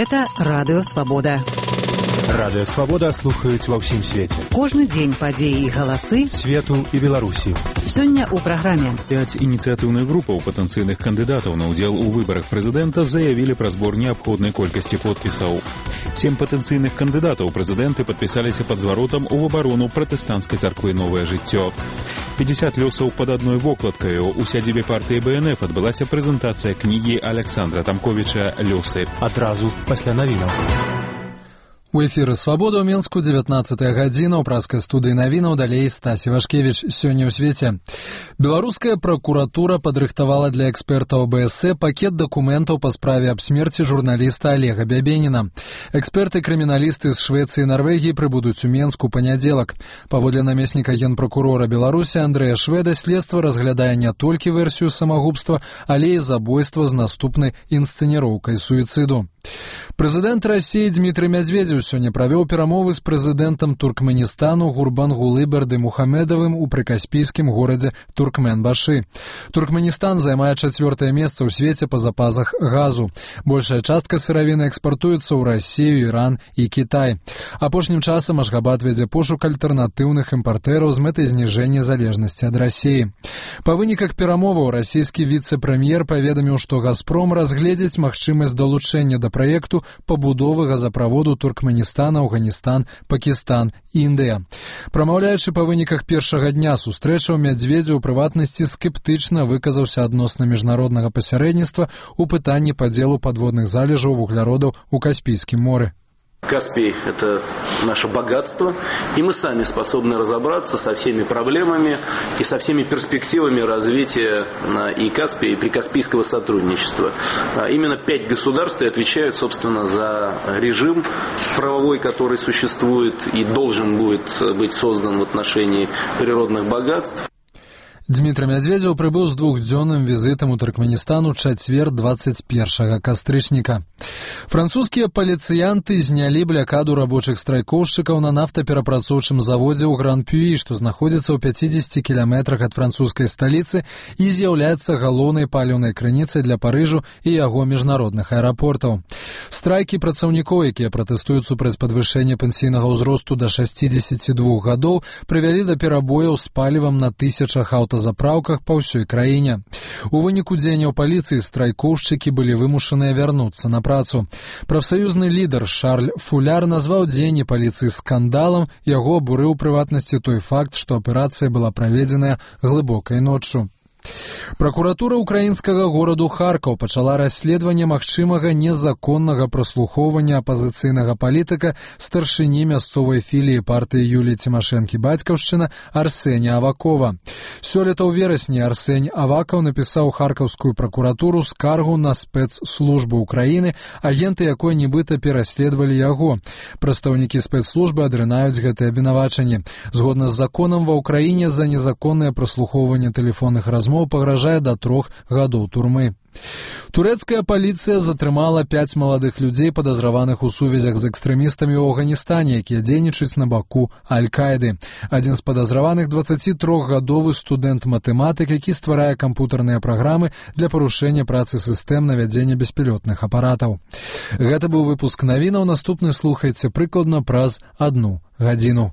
Гэта Радыё Свабода. Радыё Свабода слухаюць ва ўсім свеце. Кожны дзень падзеі і галасы свету і Беларусі. Сёння ў праграме 5 ініцыятыўных групаў патэнцыйных кандыдатаў на ўдзел у выбарах прэзідэнта заявілі пра збор неабходнай колькасці подпісаў. 7 патэнцыйных кандыдатаў прэзідэнты падпісаліся пад зваротам у абарону пратэстанцкай царквы «Новае жыццё». 50 лёсаў пад адной вокладкаю. У сядзібе партыі БНФ адбылася прэзентацыя кнігі Александра Тамковіча «Лёсы». Адразу пасля навінаў. У эфіры «Свабода» ў Менску 19-я гадзіна. У праскай студыі навінаў далей Стасі Вашкевіч. Сёння ў свеце. Беларуская пракуратура падрыхтавала для экспертаў ОБСЕ пакет дакументаў па справе аб смерці журналіста Олега Бябеніна. Эксперты-крыміналісты з Швецыі і Нарвегіі прыбудуць у Менску панядзелак. Паводле намесніка генпракурора Беларусі Андрэя Шведа, следства разглядае не толькі версію самагубства, але і забойства з наступнай інсцэніроўкай суіцыду. Прэзідэнт Расіі Дмітрый Мядзведзеў сёння правёў перамовы з прэзідэнтам Туркменістану Гурбангулы Бардымухамедовым у прыкаспійскім горадзе Туркменбашы. Туркменістан займае 4-е месца ў свеце па запасах газу. Большая частка сыравіны экспартуецца ў Расію, Іран і Кітай. Апошнім часам Ашхабад вядзе пошук альтэрнатыўных імпартэраў з мэтай зніжэння залежнасці ад Расіі. Па выніках перамоваў расійскі віцэ-прэм'ер паведаміў, што «Газпром» разгледзіць магчымасць далучэння да праекту пабудовы газаправоду Туркменістан, Афганістан, Пакістан, Індыя. Прамаўляючы па выніках першага дня сустрэчаў, Мядзведзеў у прыватнасці скептычна выказаўся адносна міжнароднага пасярэдніцтва ў пытанні падзелу падводных залежаў вугляродаў у Каспійскім моры. Каспий – это наше богатство, и мы сами способны разобраться со всеми проблемами и со всеми перспективами развития и Каспия, и прикаспийского сотрудничества. Именно 5 государств и отвечают, собственно, за режим правовой, который существует и должен будет быть создан в отношении природных богатств. Дмітрый Мядзведзеў прыбыў з двухдзённым візітам у Туркменістан у чацвер 21 кастрычніка. Французскія паліцыянты знялі блякаду рабочых страйкоўшчыкаў на нафтаперапрацоўчым заводзе ў Гран-Пюі, што знаходзіцца ў 50 кіламетрах ад французскай сталіцы і з'яўляецца галоўнай паліўнай крыніцай для Парыжу і яго міжнародных аэрапортаў. Страйкі працаўнікоў, якія пратэстуюць супраць падвышэння пенсійнага ўзросту да 62 гадоў, прывялі да перабояў з палівам на тысячах аўтазапраўках па ўсёй краіне. У выніку дзеянняў паліцыі страйкоўшчыкі былі вымушаныя вярнуцца на працу. Прафсаюзны лідар Шарль Фуляр назваў дзеянні паліцыі скандалам, яго абурыў у прыватнасці той факт, што аперацыя была праведзеная глыбокай ноччу. Пракуратура украінскага гораду Харкаў пачала расследаванне магчымага незаконнага праслухоўвання апазіцыйнага палітыка старшыні мясцовай філіі партыі Юліі Цімашэнкі «Бацькаўшчына» Арсеня Авакова. Сёлета ў верасні Арсень Авакаў напісаў харкаўскую пракуратуру скаргу на спецслужбы Украіны, агенты якой нібыта пераследавалі яго. Прадстаўнікі спецслужбы адрынаюць гэтае абвінавачанне. Згодна з законам ва Ўкраіне за незаконнае праслухоўванне тэлефонных размоў пагражае да 3 гадоў турмы. Турэцкая паліцыя затрымала 5 маладых людзей, падазраваных у сувязях з экстрэмістамі ў Афганістане, якія дзейнічаюць на баку Аль-Каіды. Адзін з падазраваных 23-гадовы студэнт-матэматык, які стварае кампутарныя праграмы для парушэння працы сістэм навядзення беспілётных апаратаў. Гэта быў выпуск навінаў. Наступны слухайце прыкладна праз 1 гадзіну.